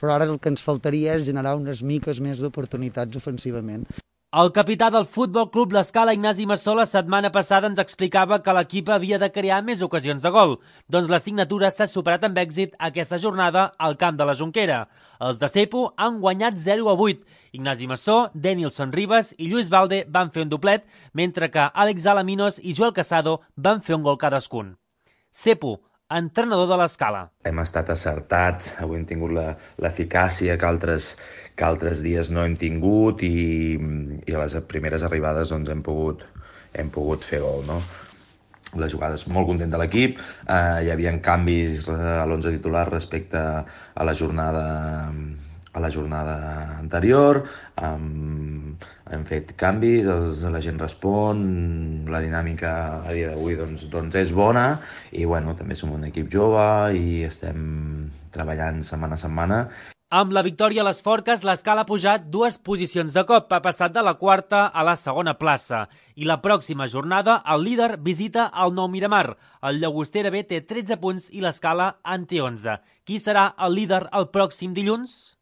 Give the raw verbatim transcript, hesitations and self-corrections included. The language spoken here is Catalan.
però ara el que ens faltaria és generar unes miques més d'oportunitats ofensivament. El capità del Futbol Club L'Escala, Ignasi Massó, la setmana passada ens explicava que l'equip havia de crear més ocasions de gol. Doncs la signatura s'ha superat amb èxit aquesta jornada al camp de la Jonquera. Els de Cepo han guanyat zero a vuit. Ignasi Massó, Denilson Ribas i Lluís Valde van fer un doblet, mentre que Àlex Alaminos i Joel Casado van fer un gol cadascun. Cepo, entrenador de l'Escala. Hem estat acertats, avui hem tingut l'eficàcia que altres, que altres dies no hem tingut i, i a les primeres arribades doncs, hem, pogut, hem pogut fer gol, no? Les jugades, molt content de l'equip, eh, hi havia canvis a l'onze titular respecte a la jornada a la jornada anterior, um, hem fet canvis, els, la gent respon, la dinàmica a dia d'avui doncs, doncs és bona i bueno, també som un equip jove i estem treballant setmana a setmana. Amb la victòria a les Forques, l'Escala ha pujat dues posicions de cop, ha passat de la quarta a la segona plaça. I la pròxima jornada, el líder visita el Nou Miramar. El Llagostera B té tretze punts i l'Escala en té onze. Qui serà el líder el pròxim dilluns?